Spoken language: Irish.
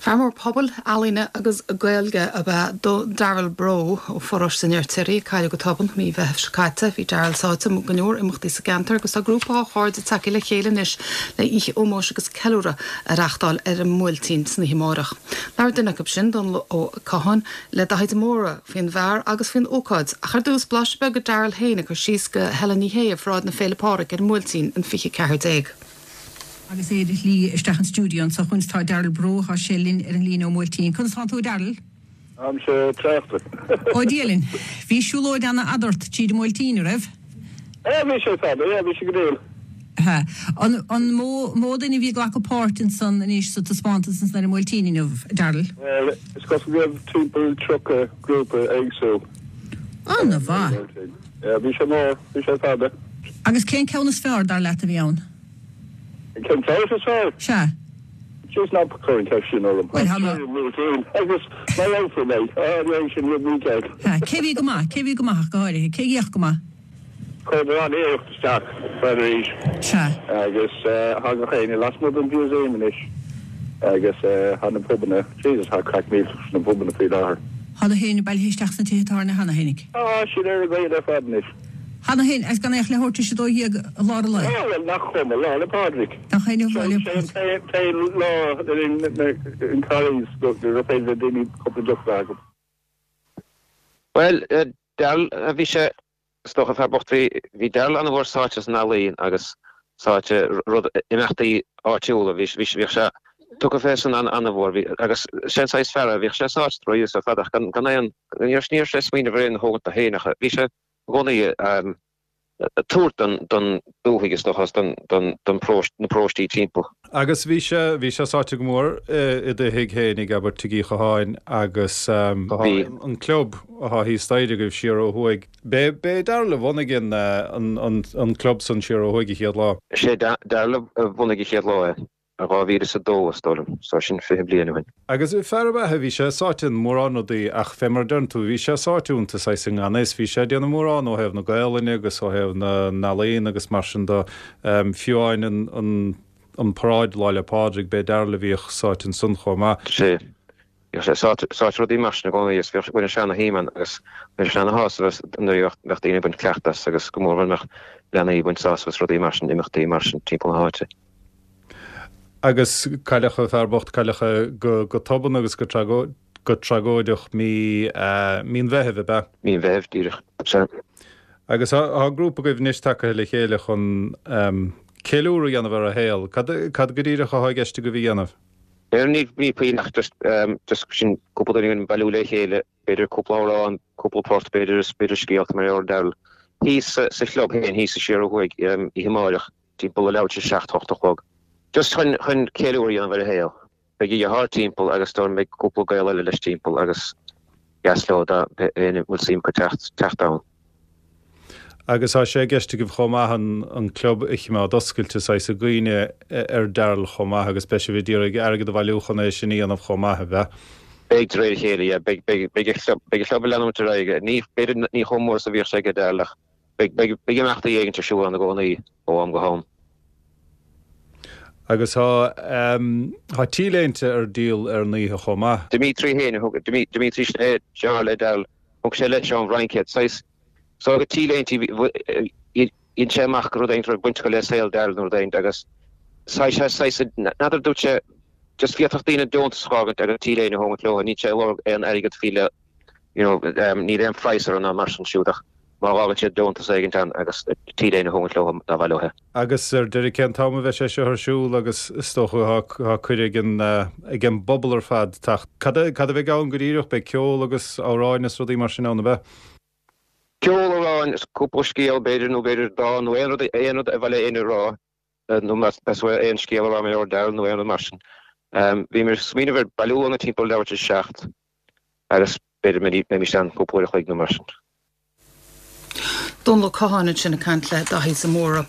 Fear mór pobail, ealaíne agus Gaeilge ab ea Darryl Breaux ó pharóiste an Fheirtéaraigh a cailleadh go tobann mí Mheithimh seo caite. Bhí Darryl sáite i go leor imeachtaí sa gceantar agus tá grúpa dá chairde tagtha le chéile anois le oíche ómóis agus ceiliúradh a reachtáil ar an mBuailtín san oíche amárach. Labhair duine acu sin, Dónal Ó Catháin, le Daithí de Mórdha faoin bhfear agus faoin ócáid. Ach ar dtús, blaiseadh beag de Darryl féin ag cur síos go Helen Ní Shé ar pharáid na Féile Pádraig ar an mBuailtín an 24. Agus é ar a shlí isteach an stiúideo anseo chugainn tá Darryl Breaux, tá sé linn ar an líne ón mBuailtín. Conas tánn tú a Darryl? Táimse traochta. Ó Dia linn. Bhí siúlóid ana fhada ort tríd an mBuailtín, a raibh? Eh bhí sé fada, yeah, bhí sé go diail. Ha. An, an mó, mó duine a bhí ag glacadh páirt ansan anois sa taispeántas ansan ar an mBuailtín inniu, a Darryl? Bhuel, is cosúil go raibh timpeall 30 grúpa éagsúil. Ana mhaith. Yeah, bhí sé mór, bhí sé fada. Agus cén ceann is fearr, dar leat, a bhí ann? Cén fear is fearr? Sea. Jeez, ná cuir an cheist sin orm. Bhuel, tá mé. Agus marófar mé. Á, ní sin rud mícheart. Sea. Cé bhí go maith? Cé bhí go maith ach go háirithe? Cé a d'fhéach go maith? Chuireadar an-iarracht isteach, chuireadar arís. Sea. Agus tá gach éinne lasmuigh den mhúsaem anois agus tá na pubanna, Jesus, tá craic millteach sna pubanna faoi láthair. Tá gach éinne bailithe isteach sna tithe tábhairne cheana fhéinig. Tá siad ar a gcaol ar fad anois. Cheana féin, agus gan é ach leathuair tar éis 12 i lár an lae. Á, bhuel, nach cuma, Lá 'le Pádraig. Nach é inniu Lá 'le Pádraig. Sé an t-aon lá le linn an Carghais go féidir le daoine cúpla deoch a bheith acu. Bhuel, Darryl, bhí sé, is dócha, fear bocht, bhí, bhí Darryl an-mhór sáite san ealaín agus sáite rud, imeachtaí áitiúla, bhí, bhí, bhíodh sé tugtha fé san an-mhór, bhí, agus sé an saghas fear é, bhíodh sé sáite rudaí ar fad ach gan, gan aon, ní raibh, ní raibh sé ag smaoineamh ar aon thógaint dó féin ach bhí sé i gcónaí ag tabhairt don, don dúthaigh is dócha, don, don, don paróiste, na paróistí timpeall. Agus bhí sé, bhí sé sáite go mór i do thigh fhéinig, abair, Tigh Uí Chatháin agus an club athá thíos staighre agaibh siar ó thuaidh. B'é, b'é Darryl a bhunaigh an, an, an club san siar ó thuaidh a chéad lá. Sé Darryl a bhunaigh a chéad lá é. I 2002, is dóigh liom, so sin 20 bliain ó shin. Agus fear ab ea é, bhí sé sáite in mórán rudaí ach fé mar a deireann tú, bhí sé sáite iontu saghas i ngan fhios, bhí sé ag déanamh mórán ó thaobh na Gaolainne agus ó thaobh na n-ealaíon agus mar sin de. Fiú amháin an, an, an paráid Lá 'le Pádraig, b'é Darryl a bhíodh sáite ansan chomh maith. Sea. Bhíodh sé sáite i rudaí mar sin i gcónaí agus bhíodh, bhaineadh sé ana-shuim ann agus bhaineadh sé ana-shásamh as nuair a bheadh daoine ag baint cleacht as agus go mór mhór mbeadh leanaí ag baint sásamh as rudaí mar sin, imeachtaí mar sin timpeall na háite. Agus cailleadh an fear bocht, cailleadh é go, go tobann agus go tragó, go tragóideach mí, mí an Mheithimh, ab ea? Mí an Mheithimh, díreach, sea. Agus tá, tá grúpa agaibh anois tagaithe le chéile chun ceiliúradh a dhéanamh ar a shaol. Cad, cad go díreach atá i gceist agaibh a dhéanamh? Níl ní puinn ach just just sin cúpla duine againn bailiú le chéile, b'fhéidir cúpla amhrán, cúpla port b'fhéidir is b'fhéidir scéalta mar gheall ar Darryl. Thíos sa chlub féin, thíos siar ó thuaidh, oíche amáireach, timpeall a leathuair tar éis a 7, 8 a chlog. Just chun chun ceiliúradh a dhéanamh ar a shaol. Beidh a dheartháir timpeall agus dóigh liom beidh cúpla gaol eile leis timpeall agus dheas leo dá éinne bhfuil suim acu teacht teacht ann. Agus tá sé i gceist agaibh chomh maith an club a chimeád oscailte, saghas i gcuimhne ar Darryl chomh maith agus beidh sibh ag iarraidh airgead a bhailiú chun é sin a dhéanamh chomh maith, ab ea? Beidh, de réir a chéile, yeah. Beidh, beidh, beidh an club, beidh an club ag leanúint ar aghaidh. Ní, b'fhéidir ní chomh mór is a bhíodh sé ag Darryl ach beidh, beidh, beidh imeachtaí éigint ar siúl ann i gcónaí ó am go ham. Agus tá, tá T-léinte ar díol ar an oíche chomh maith. Dimitri féin a thug, Dimitri sin é, deartháir le Darryl, thug sé leis ón bhFrainc iad, saghas, So na T-léinte dhein sé amach go rud éigin raibh baint acu le saol Darryl nó rud éigin agus saghas sé saghas n'fheadar dúirt sé just féadfadh daoine deontas a fhágaint agus T-léine a thógaint leo níl sé ag lorg aon airgead faoi le you know níl aon phraghas orthu ná mar sin siúd ach má dh'fhágann siad deontas éigint ann agus T-léine a thógaint leo dá mhaith leo é. Agus ar deireadh cén t-am a bheidh sé seo ar siúl agus is dócha tá cuireadh ag an ag an bpobal ar fad teacht. Cad cad a bheidh ann go díreach? Beidh ceol agus amhráin is rudaí mar sin ann, ab ea? Ceol, amhráin is cúpla scéal b'fhéidir nó b'fhéidir dán nó aon rud aon rud a mhaith le éinne a rá nó más uaidh aon scéal a rá mar gheall ar Darryl nó aon rud mar sin. Bhíomar ag smaoineamh ar bailiú ann timpeall leathuair tar éis a 7 agus b'fhéidir mbeimis ann cúpla uair a chloig nó mar sin. Dónal Ó Catháin ansin ag caint le Daithí de Mórdha.